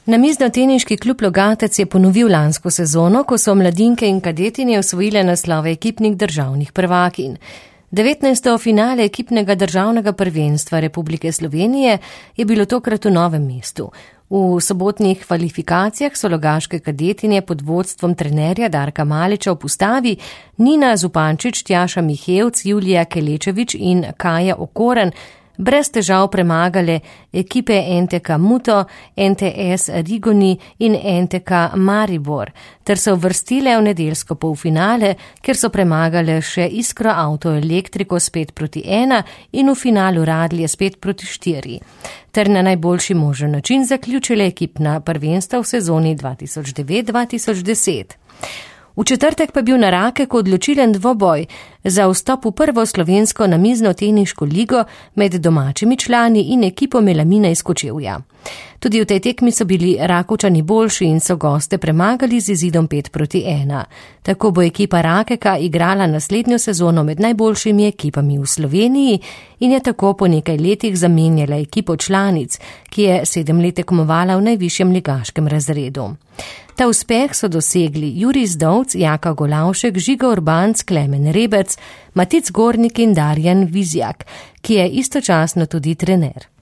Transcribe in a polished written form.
Namiznoteniški klub Logatec je ponovil lansko sezono, ko so mladinke in kadetinje osvojile naslove ekipnih državnih prvakinj. 19. finale ekipnega državnega prvenstva Republike Slovenije je bilo tokrat v Novem mestu. V sobotnih kvalifikacijah so logaške kadetinje pod vodstvom trenerja Darka Maliča v postavi Nina Zupančič, Tjaša Mihevc, Julija Kelečevič in Kaja Okoren brez težav premagale ekipe NTK Muto, NTS Rigoni in NTK Maribor, ter se uvrstile v nedeljsko polfinale, kjer so premagale še Iskro Auto Elektriko s 5-1 in v finalu Radlje s 5-4, ter na najboljši možen način zaključile ekipna prvenstva v sezoni 2009-2010. V četrtek pa je bil na Rakeku odločilen dvoboj za vstop v prvo slovensko namiznoteniško ligo med domačimi člani in ekipo Melamina iz Kočevja. Tudi v tej tekmi so bili Rakovčani boljši in so goste premagali z izidom 5-1. Tako bo ekipa Rakeka igrala naslednjo sezono med najboljšimi ekipami v Sloveniji in je tako po nekaj letih zamenjala ekipo članic, ki je 7 let tekmovala v najvišjem ligaškem razredu. Ta uspeh so dosegli Jurij Zdovc, Jaka Golavšek, Žiga Urbanc, Klemen Rebec, Matic Gornik in Darjan Vizjak, ki je istočasno tudi trener.